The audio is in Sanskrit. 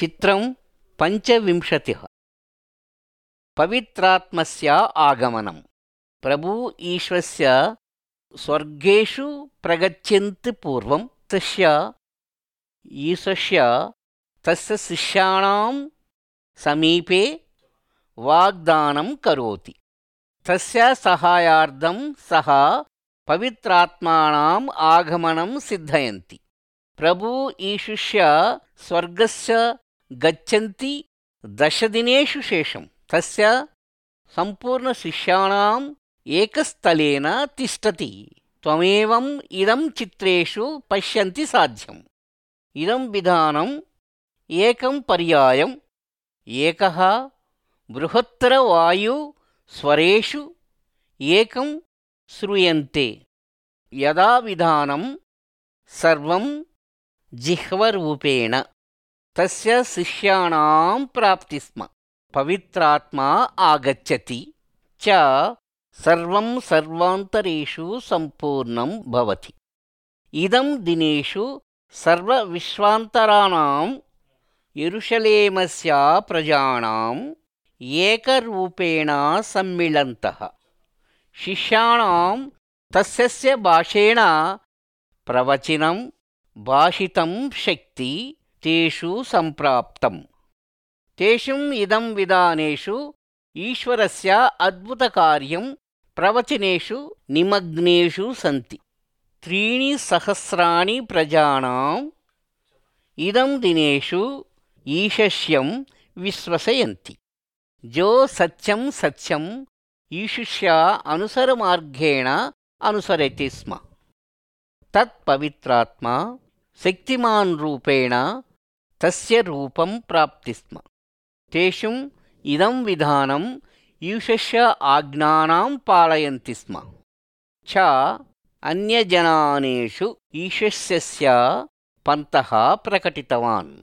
चित्रं 25 पवित्रात्मस्य आगमनं प्रभु ईश्वस्य स्वर्गेषु प्रगच्छन्ति पूर्वं ईशस्य तस्य शिष्याणां समीपे वाग्दानं करोति। तस्य सहायार्थं सः पवित्रात्मानाम् आगमनं सिद्धयन्ति। प्रभु ईशुस्य स्वर्गस्य गच्छन्ति 10 दिनेषु शेषं तस्य सम्पूर्णशिष्याणाम् एकस्थलेन तिष्ठति। त्वमेवम् इदं चित्रेषु पश्यन्ति साध्यम्। इदं विधानम् एकं पर्यायम् एकः बृहत्तरवायु स्वरेषु एकं श्रूयन्ते। यदा विधानं सर्वं जिह्वरूपेण तस्य शिष्याणां प्राप्ति स्म। पवित्रात्मा आगच्छति च सर्वं सर्वान्तरेषु सम्पूर्णं भवति। इदं दिनेषु सर्वविश्वान्तराणां यरूशलेमस्य प्रजानाम् एकरूपेण सम्मिलन्तः। शिष्याणां तस्य भाषेण प्रवचनं भाषितं शक्ति तेषु सम्प्राप्तम्। तेषु इदं विधानेषु ईश्वरस्य अद्भुतकार्यं प्रवचनेषु निमग्नेषु सन्ति। 3,000 प्रजानाम् इदं दिनेषु ईशस्यं विश्वसयन्ति। जो सत्यं सत्यं ईशुस्य अनुसरमार्गेण अनुसरति स्म तत् पवित्रात्मा शक्तिमान् रूपेण तस्य रूपं प्राप्ति स्म। तेषु इदं विधानं ईशस्य आज्ञानां पालयन्ति स्म च अन्यजनानेषु ईशस्य पन्तः प्रकटितवान्।